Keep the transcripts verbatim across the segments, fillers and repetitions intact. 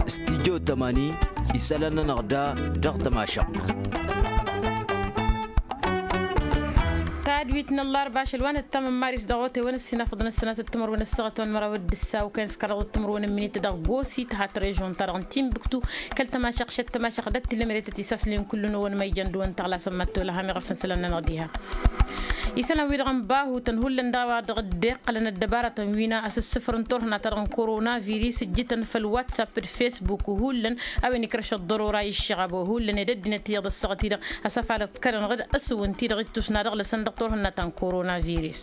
Studyo tămani isălan-nănăɣ da dăɣ-tămašăɣt. Tadwit n-ăllarba ašăl wa nǝttamăn maris dăɣ-otewăn ăssinafăḍ n-ăssănatăt timărwen ăssaɣăt wa n-măraw d-ǝssa okăyăn s-kăraḍăt timărwen n-minit dăɣ-gosit ha tărežon-ta-dăɣ n-timbuktu kăl-tămašăɣ šăt tămašăɣ d-ăttilăm eretăt isaslen kullu-năwăn ma ijăn dăɣ-wăn tăɣlasăn mad-tolăhăm iɣăf n-isălan-nănăɣ diha. Isălan-wi-dăɣ n-bahutăn hullan dăɣ-a-wa dăɣ-dd-iqqălăn ăddăbarătăn wi n-asǝssǝfrǝn turhǝnna-ta-dăɣ n-korona virus ǝjjǝtăn făll-whatsapp d-facebook hullan a-wen ikrăš ăḍḍărora iššăɣăb hullan ed ăddinăt iyyăḍ ăssaɣăt-i-dăɣ a-s afalăt kărăn ɣǝd ăsǝwǝn-t-i-dăɣ ittus n-ad-ăɣlăsăn dăɣ-turhǝnna ta n-korona virus.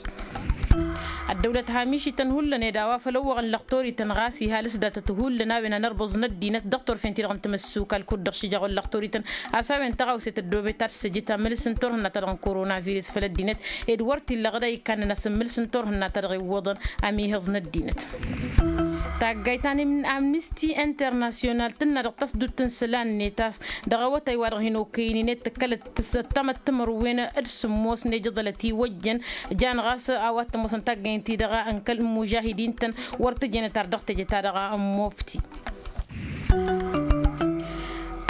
Ăddăwlăt hamišităn hullan ed a-wa făl ăwwăɣăn lăxtorităn ɣas iha lăsdatăt hullan a-wen anărbuẓ n-ăddinăt dăɣ-turfen-ti-dăɣ n-tamăssukal kud-dăɣ šijăɣ wăr lăxtorităn a-s a-wen tăɣawse tăddoobet ad-săjǝt amǝls n-turhǝnna-ta-dăɣ n-korona virus făll-ăddinăt ed wăr t-illa ɣǝd a ikkannăn asǝmmǝls n-turhǝnna-ta-dăɣ iwwăḍăn amiihǝẓ n-ăddinăt. Taggayt ta n-amnisti internasyonal tǝnna dăɣ-tasdut n-isălan-net a-s dăɣ-awătay wa dăɣ-hin-okăyăn-in ed tǝkkălăt tămăt timărwen d-sǝmmos n-ejăḍălăt iwăjjăn jan ɣas a-wa t-ămoosăn taggayt-i-dăɣ n-kăl-imužahidin-tăn wăr tǝjjănăt ar dăɣ-teje-ta-dăɣ n-mobti.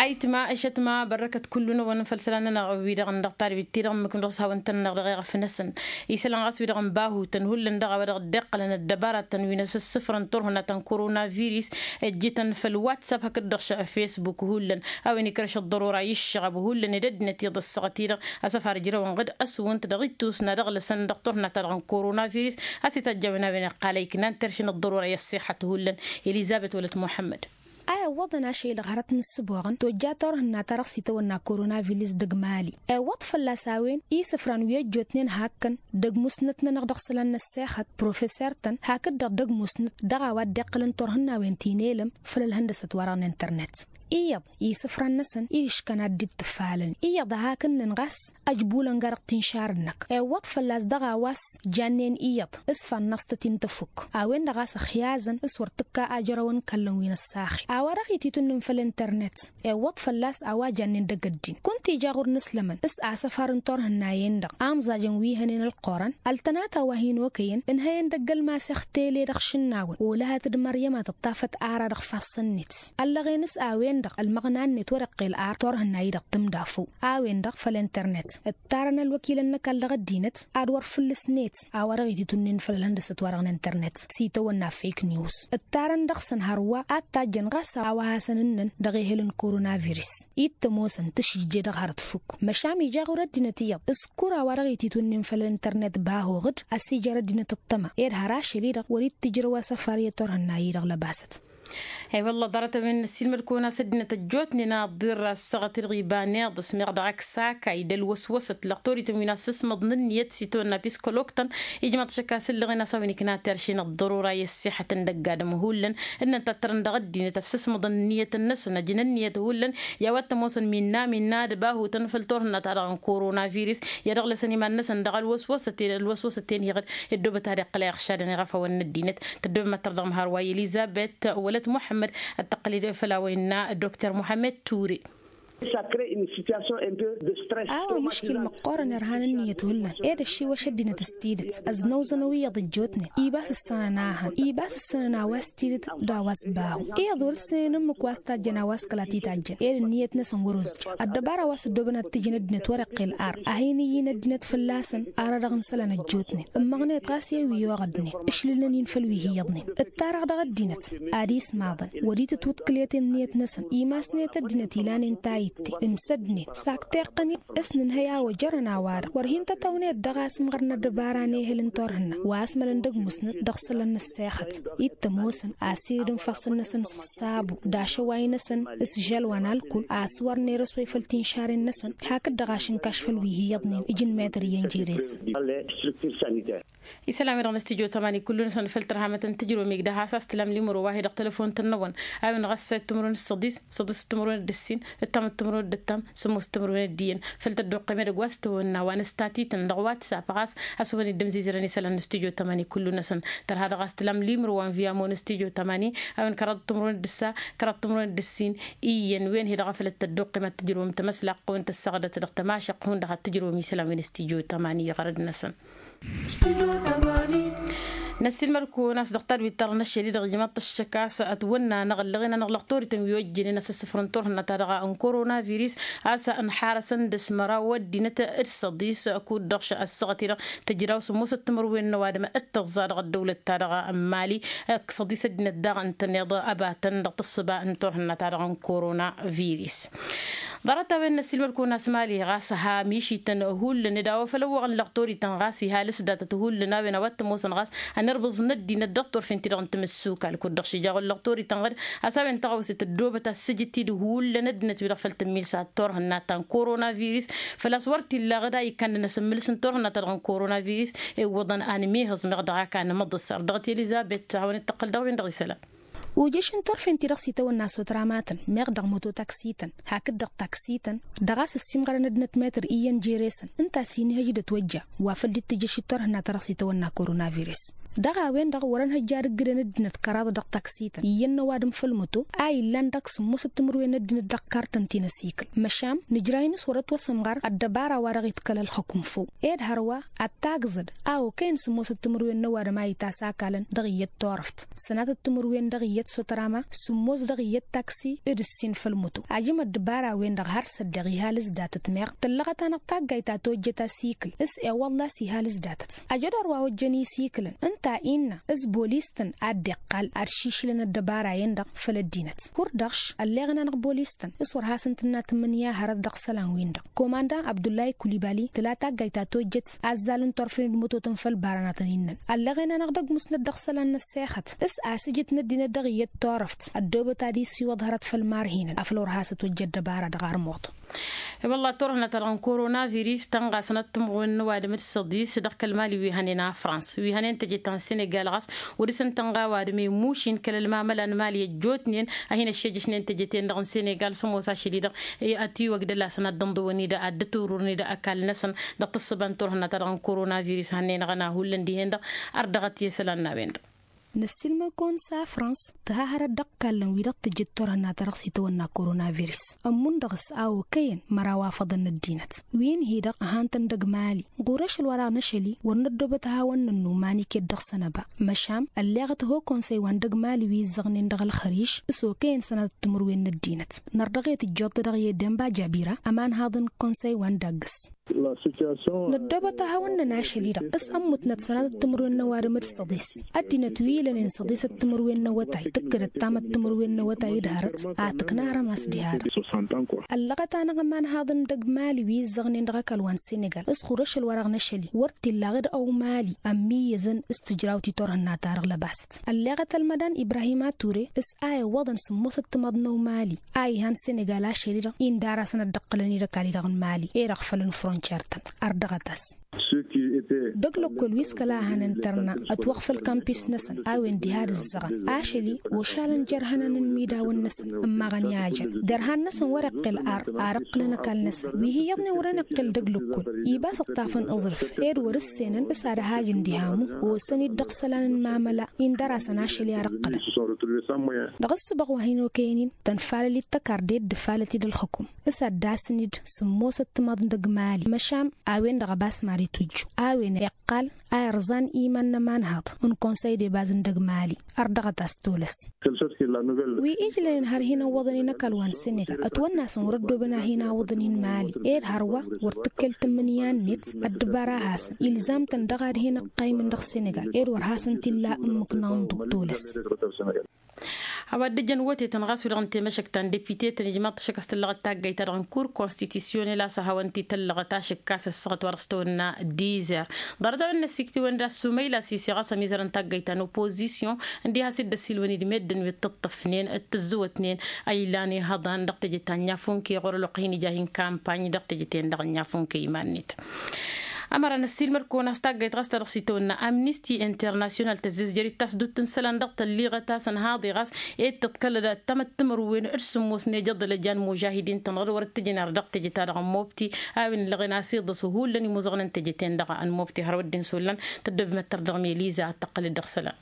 Ayǝtma ăššătma bărrăkăt kullu-năwăn făll-isălan-nănăɣ wi-dăɣ n-dăɣ-tadbit-ti-dăɣ ǝmmǝknăɣ s-hawăn-tăn-năɣ dăɣ-eɣăf-năsăn. Isălan ɣas wi-dăɣ n-bahutăn hullan dăɣ-a-wa dăɣ-dd-iqqălăn ăddăbarătăn wi n-asǝssǝfrăn turhǝnna ta n-korona virus ăjjǝtăn făll-whatsapp hakd-dăɣ šăɣ facebook hullan a-wen ikrăš ăḍḍărora iššăɣăb hullan ed ăddinăt iyyăḍ ăssaɣăt-i-dăɣ a-s ăfar ǝjrăwăn ɣǝd ăswǝnt dăɣ-ittus n-ad-ăɣlăsăn dăɣ-turhǝnna-ta-dăɣ n-korona virus a-s itajj a-wen a-wen iqqal a iknan terše n-ăḍḍărora i-ăṣṣiḥăt hullan. Elizăbet wălăt muḥămmăd. A iwwăḍăn ašăl-i-dăɣ hărăt n-ǝssǝboɣăn tojja turhǝnna-ta-dăɣ s-itawănna korona virus dăgg-mali. Iwwăḍ fălla-s a-wen isǝfran wi ăjjootnen hakkăn dăgg-musnăt-nănăɣ dăɣ-isălan n-ăssexăt professer-tăn hakd-dăɣ dăgg-musnăt dăɣ-a-wa dd-iqqălăn turhǝnnawen ti n-elăm făll-ălhăndăsăt-wa-dăɣ n-internet. Iyyăḍ isǝfran-năsăn ihǝškăn ad-dd-ǝtǝfalăn iyyăḍ a hakǝnnăn ɣas ăjbulăn ga-dăɣ tinšar-năk. Iwwăḍ fălla-s dăɣ-a-wa s-jannen iyyăḍ s-fannăɣ s-tăt-in-tăfuk a-wen-dăɣ a-s ăxyazăn s-wăr tǝkka ajrăwăn kallăn wi n-ăssaxen a-wa dăɣ-ititǝnnin făll-internet. Iwwăḍ fălla-s a-wa jannen dăgg-ăddin kunta ija ɣur-nǝslămăn s-asăfar n-turhǝnnayen-dăɣ amẓajăn wi hănen ălqurăn ăltănata wa hin-okăyăn ǝnhăyăn dăgg-ălmaseɣ tele dăɣ-išǝnnawăn olăhăt d-măryăm a tǝṭṭafăt ara dăɣ-ifassăn-net ăllăɣen s-a-wen-dăɣ ălmăɣna-net wăr-iqqel ar turhǝnna-i-dăɣ tǝmdafăw a-wen-dăɣ făll-internet. Ǝttarăn ălwăkilăn n-ăkall dăɣ-ăddinăt ad-wăr fǝllǝsnet a-wa dăɣ-ititǝnnin făll-ălhăndăsăt-wa-dăɣ n-internet s-itawănna fake news. Ǝttarăn dăɣ-săn hărwa ad-tajjăn ɣas a-wa hasăn-ǝnnăn dăɣ-ehăl n-korona virus. Ittămosăn tǝšǝjje dăɣ-hărăt fuk măšan ija ɣur-ăddinăt iyyăḍ s-kura wa dăɣ-ititǝnnin făll-internet bahoɣ-dd ăsijăr ăddinăt ăṭṭăma ed har ašăl-i-dăɣ wăr-ittǝjrăw asăfar i-turhǝnna-i-dăɣ lăbasăt. He-wălla ḍarăt a-wen n-ăssiilmăd-kăwăn a-s ăddinăt ăjjootnen a ăḍḍirra ăssaɣăt-i-dăɣ iba n-iḍǝs meɣ dăɣ-ak sakay d-ălwăswăsăt lăxtorităn wi n-assăsmăḍ n-ǝnniyăt s-itawănna piskăloktan. Ijmăḍ šăkk a-s ǝllăɣen a-s a-wen ikna terše n-ăḍḍărora i-ăssixăt n-dăgg-adǝm hullan ǝnnăn tattărăn dăɣ-ăddinăt ăssăsmăḍăn ǝnniyăt-năsăn ăjǝn ǝnniyăt hullan. I-a-wa t-ămoosăn minna minna d-bahutăn făll-turhǝnna-ta-dăɣ n-korona virus i-ad-ăɣlăsăn iman-năsăn dăɣ-ălwăswăsăt ed ălwăswăsăt-en iɣǝd ăddobăt ad-iqqăl a iɣšadăn iɣăfawăn n-ăddinăt. Tăddobem ad-tărdăɣ măhar wa i-elizăbet wălăt muḥămmăd ad-tăqqăl-dd făll-a-wa innă dokter muḥămmăd ture. A-wa mǝškil măqqoorăn irhan ǝnniyăt hullan ed ăššiwăš ăddinăt s-tidǝt ăznăwzănăw iyyăḍ ăjjootnen ibas ǝssănăn a hăn ibas ǝssănăn a-wa s-tidǝt d-a-wa s-bahu iyyăḍ wăr-ǝssǝnen ǝmmǝk wa s-tajjăn a-wa s-kăla t-itajjăn ed ǝnniyăt-năsăn wăr-ozja. Ăddăbara wa s-ăddoobăn ad-t-ǝjǝn ăddinăt wăr-iqqel ar a hin-ǝyyǝn ăddinăt fălla-săn ara dăɣ-n isălan ăjjootnen ǝmmăɣnet ɣas i-wi oɣădnen ǝšlǝlăn-in făll-wi hi-iyyăḍnen. Ǝttarăɣ dăɣ-ăddinăt ad-ismaḍăn wăr-itǝtwǝḍkǝlet ǝnniyăt-năsăn imasnet ăddinăt ilanen tayǝtte ǝmsădnen s-ak tiqqăn-in s-nǝnhăy a ojărăn a-wa-dăɣ wăr hin-tătawnet dăɣ-asǝmɣăr n-ăddăbara n-ehăl n-turhǝnna wa ăsmălăn d-ăgg-musnăt dăɣ-isălan n-ăssexăt. Ittămosăn asirid n-ifassăn-năsăn s-ăṣṣabu d-ašăway-năsăn s-žăl wa n-alkul a-s wăr nerăswăy făll-tinšaren-năsăn hakd-dăɣ ašǝnkaš făll-wi hi-iyyăḍnen ǝjǝnmetăr iyyăn jere-săn. Isălan-wi-dăɣ n-studyo tămani kullu-năsăn făll-tărhamăt n-tǝjromig dăɣ-has a-s tǝlam limro wa hi-dăɣ telăfon-tăn n-awăn a-wen ɣas ăssayăt timǝrwen d-săḍis săḍis timǝrwen d-ǝssin ǝttamăt timǝrwen d-ǝttam sămoos timǝrwen d-iyyăn făll-tăddoqqem edăgg wa s-tawănna wa n-ăstatităn dăɣ-whatsapp ɣas a-s wăn-dd-ămzizărăn isălan n-studyo tămani kullu-năsăn. Tărha dăɣ-a-s tǝlam limro wa n-viyamo n-studyo tămani a-wen kăraḍ timǝrwen d-ǝssa kăraḍ timǝrwen d-ǝssin iyyăn wen hi-dăɣ a făl dd-tăddoqqem ad-tǝjrǝwăm tamăslaqq tămăsɣădăt dăɣ-tămašăqq hundăɣ ad-tǝjrǝwăm isălan wi n-studyo tămani iɣărăd-năsăn. Năssiilmăd-kăwăn a-s dăɣ-tadwit-ta-dăɣ n-ašăl-i-dăɣ ijmaḍ-t ăššăk a-s ătwănna n-aɣăllăɣen-anăɣ lăɣ toriten wi ojjănen asǝssǝfrăn turhǝnna-ta-dăɣ n-korona virus, a-s ănḥarăsăn d-asmăraw ăddinăt d-săḍis. Kud-dăɣ š-ăssaɣăt-i-dăɣ tǝjraw sǝmmosăt timǝrwen n-ăwadǝm d-tăẓẓa dăɣ-ăddăwlăt-ta-dăɣ n-mali, d-săḍis ăddinăt daɣ ǝntăneḍ ăbatăn dăɣ-tǝssǝba n-turhǝnna-ta-dăɣ n-korona virus. Ḍarăt-a-wen n-ăssiilmăd-kăwăn a-s mali ɣas ha mišităn hullan d-a-wa făl ăwwăɣăn lăɣ torităn ɣas ihalǝs datăt hullan a-wen a-wa t-ămoosăn ɣas ănirbuẓ n-ăddinăt dăɣ-turfen-ti-dăɣ n-timǝssukal kud-dăɣ šija wăr lăɣ torităn ɣǝd. A-s a-wen tăɣawse tăddoobăt a-s sǝjǝt-dd hullan ăddinăt wi-dăɣ făl tǝmmilsa turhǝnna ta n-korona virus făl-a-s wăr t-illa ɣǝd a ikkannăn asǝmmǝlǝs n-turhǝnna-ta-dăɣ n-korona virus. Iwwăḍăn a nǝmihǝẓ meɣ dăɣ-a kanămăḍǝs ar dăɣ-teliza bet a-wen dd-tăqqăl dăɣ-wen-dăɣ isălan. Ujǝš n-turfen-ti-dăɣ s-itawănna s-otramatăn meɣ dăɣ-mototaksităn hakd-dăɣ taksităn dăɣ-a-s ăssiimɣărăn ăddinăt metăr iyyăn jere-săn ǝnta a-s inhăj d-ătwăjja wa făl dd-tǝjjăš d-turhǝnna-ta-dăɣ s-itawănna korona virus. Dăɣ-a-wen-dăɣ wăr-ănhăjja ad-ǝggǝdăn ăddinăt kăraḍ dăɣ-taksităn iyyăn n-ăwadǝm făll-măto a illan dăɣ-sǝmmosăt timǝrwen n-ăddinăt dăɣ-kartăn ti n-ăsikǝl. Măšan nǝjrăy-nǝs wăr-ătwăsămɣăr ăddăbara wa dăɣ-iḍkăl ălxukǝm făw ed hărwa ad-tagzăd a okăyăn sǝmmosăt timǝrwen n-ăwadǝm a itasakalăn dăɣ-iyyăt turăft sănatăt timǝrwen dăɣ-iyyăt s-otrama sǝmmos dăɣ-iyyăt taksi d-ǝssin făll-măto ajǝm ăddăbara-wen-dăɣ har s-ăddeɣ ihalǝs datăt meɣ tǝllăɣăt-anăɣ taggayt ta tojjăt asikǝl s-ewălla s-ihalǝs datăt. Ajădor wa ojjăn isikǝlăn ǝnta innă s-bolistăn ad-dd-iqqal ad-šišǝlăn ăddăbara-en-dăɣ făll-ăddinăt. Kur-dăɣ š-ălleɣăn-anăɣ bolistăn s-wăr hasăn-tǝnna tǝmmǝnǝya hărăt dăɣ-isălan-win-dăɣ komanda abdullahi kulibali tǝla taggayt ta tojjăt azzal n-turfen d-mututăn făll-baranatăn innăn ălleɣen-anăɣ d-ăgg musnăt dăɣ-isălan n-ăssexăt s-asǝjǝt n-ăddinăt dăɣ-iyyăt turăft ăddoobăt ad-isiwăḍ hărăt făll-imarhinăn afăl wăr hasăt ojjăt dăbara dăɣ-armuḍ. I-wălla turhǝnăt-ta-dăɣ n-korona virus tănɣasăn ad-tǝmɣǝwen n-ăwadǝm d-săḍis dăɣ-kăl-mali wi hănen a frans wi hănen tejăt ta n-senegal ɣas wăr-dăr-săn tănɣa ăwadǝm i-mušin kăl-ălmamăla n-mali ăjjootnen a hin-ăššejăšnen tejăt-en-dăɣ n-senegal s-ămoos ašăl-i-dăɣ i-ătiwăgdăl-asăn ad-dd-ǝnḍǝwăn-i-dăɣ ad-dd-ătururăn-i-dăɣ ăkall-năsăn dăɣ-tǝssǝba n-turhǝnna-ta-dăɣ n-korona virus hănnen ăɣăna hullan dihen-dăɣ. Ărdăɣăt i-isălan n-a-wen-dăɣ. Năssiilmăr-kăwăn s-a frans tǝha hărăt dăɣ-ikallăn wi-dăɣ tǝjǝd turhǝnna-ta-dăɣ s-itawănna korona virus ămmun dăɣ-s a okăyăn măraw afăḍăn n-ăddinăt wi n-hi-dăɣ ăhantăn dăgg-mali. Ɣur-ašăl wa dăɣ-năšăl-i wăr năddoobăt ad-hawăn-nănnu ma n-iket dăɣ-săn ăba măšan ălleɣăt ho konsăy wa n-dăgg-mali wi izzăɣnen dăɣ-ălxăriž s-okăyăn sănatăt timǝrwen n-ăddinăt. Nărdăɣ i-tǝjjăḍ-t dăɣ-i demba jabira ămanhaḍ n-konsăy wa n-daggǝs. Năddoobăt ad-hawăn-năn ašăl-i-dăɣ s-ămmutnăt sănatăt timǝrwen n-ăwadǝm d-săḍis ăddinăt wi ilănen săḍisăt timǝrwen n-awătay tǝkkǝdăt tamăt timǝrwen n-awătay d-hărăt. Ad-tǝkna arămas diha-dăɣ ăllăɣăt-anăɣ ămanhaḍ n-dăgg-mali wi izzăɣnen dăɣ-ăkall wa n-senegal s-ɣur-ašăl wa dăɣ-năšăl-i wăr t-illa ɣǝd ăw mali ămmiyyăzăn s-tǝjrawt i-turhǝnna-ta-dăɣ lăbasăt. Ălleɣăt ălmădan ibrahima ture s-a iwwăḍăn sǝmmosăt timaḍ n-ăw mali a ihan senegal ašăl-i-dăɣ inda ar-asăn ad-dd-ǝqqǝlăn-dd ăkall-i-dăɣ n-mali ed ăɣfălăn frontiyer-tăn. Ărdăɣăt-as dăgg-lăkkol wi s-kăla hăn ǝntărna ătwăɣfăl kampis-năsăn a-wen diha d-ǝzzăɣăn ašăl-i ošalăn jer-ihănan n-imidawăn-năsăn ǝmmaɣăn i-ajăn derhan-năsăn wăr-iqqǝl ar ar ǝqqǝlăn ăkall-năsăn wi hi-iyyăḍnen wăren iqqǝl dăgg-lăkkol. Ibas ǝṭṭafăn aẓrǝf ed wăr-ǝssenăn s-ad-ăhajǝn diha ămu osăn-dd dăɣ-isălan n-imamăla indăr-asăn ašăl i-ad-ǝqqǝlăn. Dăɣ-ǝssǝbăɣ wa hin-okăyăn-in tănfalăl-dd tăkarde d-ǝfalăt-dd ălxǝkum s-ad-dd-asǝn-dd sǝmmosăt timaḍ n-dăgg-mali măšan a-wen-dăɣ ăbas mad-itwǝjju a-wen iqqal a irẓan iman n-ămanhaḍ n-konsăy d-ebaz n-dăgg-mali. Ărdăɣăt-as tolăs wi ijlănen har hin-ăwwăḍăn-in ăkall wa n-senegal ătwănn'-asăn wăr-ăddooben ad-hin-awǝḍăn-in mali ed hărwa wăr tǝkkelt ǝmmǝnǝya-net. Ăddăbara-hasăn ilzam-tăn dăɣ-ad-hin-ăqqaymǝn dăɣ-senegal ed wăr hasăn-t-illa ǝmmǝk n-anḍu tolăs. A-wa dd-ǝjăn wătetăn ɣas wi-dăɣ n-temăšăkt ta n-depite-tăn ijmaḍ-t ašăk a-s tǝllăɣăt taggayt-ta-dăɣ n-kur konstitusyonel a-s ăhawăn-t-i tăllăɣăt ašăk a-s ăssaɣăt wa dăɣ-s tăwănna dizer. Ḍarăt a-wen n-ăssiktǝwăn d-assumăyla sise ɣas ămizărăn taggayt ta n-opozisyon ǝndiha a-s dd-ăsilwăn-dd meddǝn wi t-ǝṭṭăfnen d-tǝzzǝwătnen a ilan ihăḍan dăɣ-teje ta n-yafunke ɣur-ălwăqq hin-ija hin-kampany dăɣ-teje-ten-dăɣ n-yafunke iman-net. Ămăra năssiilmăd-kăwăn a-s taggayt ɣas ta dăɣ-s itawănna amnisti internasyonal tăzzezjăr-dd tasdut n-isălan dăɣ-tălliɣăt a-s ănhaḍe ɣas ed tǝḍkălăd tamăttămărwen d-sǝmmos n-ejăḍ ălăjan mužahidin-tăn ɣur-dd wăr t-tǝjǝn ar dăɣ-teje-ta-dăɣ n-mobti a-wen ǝllăɣen a-s iḍǝs hullan imuzăɣăn n-teje-ten-dăɣ n-mobti hărwa dd-insullăn. Tăddoobem ad-tărdăɣ meliza ad-tăqqălăd dăɣ-isălan.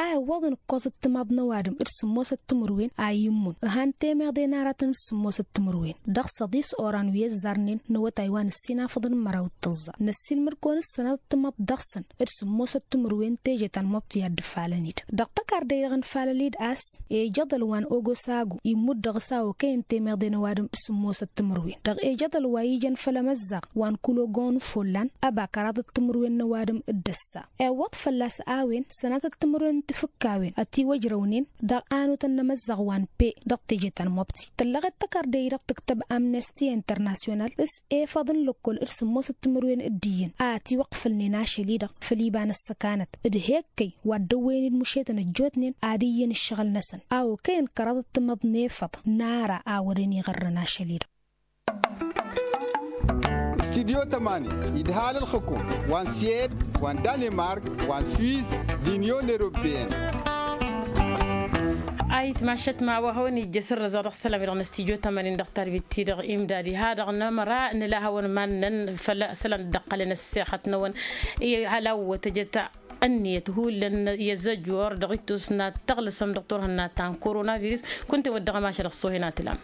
a iwwăḍăn ǝkkoẓăt timaḍ n-ăwadǝm d-sǝmmosăt timǝrwen a immǝn ǝhan temeḍe n-aratăn d-sǝmmosăt timǝrwen. Dăɣ-săḍis oran wi ăzzarnen n-awătay wa n-ǝssin afăḍăn n-măraw d-tǝẓẓa năssiilmăd-kăwăn ǝssănatăt timaḍ dăɣ-săn d-sǝmmosăt timǝrwen teje ta n-mobti a dd-ǝfalăn-dd dăɣ-tăkarda-i-dăɣ n-falăl-dd a-s ejăḍăl wa n-ogosagu immut dăɣ-s a okăyăn temeḍe n-ăwadǝm d-sǝmmosăt timǝrwen dăɣ-ejăḍăl wa ijăn făll-emăzzaɣ wa n-kulogon n-follan ăba kăraḍăt timǝrwen n-ăwadǝm d-ăssa. Iwwăḍ fălla-s a-wen sănatăt timǝrwen n-tifǝkkawen ătiwăjrăwnen dăɣ-anutăn n-emăzzaɣ wa n-pe dăɣ-teje ta n-mobti tǝllăɣet tăkarde-i-dăɣ tǝktăb amnesti internasyonal s-efăḍ n-lăkkol d-sǝmmosăt timǝrwen d-iyyăn a ătiwăqfălnen ašăl-i-dăɣ făll-iba n-ăssăkanăt d-hekkăy wa dd-ăwwăyăn-dd mušetăn ăjjootnen ad-iyyăn ǝššăɣǝl-năsăn a okăyăn kăraḍăt timaḍ n-efăḍ n-ara a wărăn iɣărrăn ašăl-i-dăɣ. Studyo tămani idhal ǝlxǝkum wa n-siyed wa n-danimark wa n-swiss d-inyon eropeyăn. Ayǝtmašăt ma wa hawăn-ijjăs ărrăẓ dăɣ-isălan-wi-dăɣ n-studyo tămani dăɣ-tarbit-ti-dăɣ imdadi ha-dăɣ nămăra nǝla hawăn-iman-năn făll-isălan dd-ăqqălăn ăssexăt-năwăn. Ihăl a-wa tăjăt ǝnniyăt hullan i-ăzzăjor dăɣ-ittus n-ad-tăɣlǝsăm dăɣ-turhǝnna ta n-koronavirus. Kunta-en wăr dăɣ-ămašăl ăṣṣuhen a tǝlam.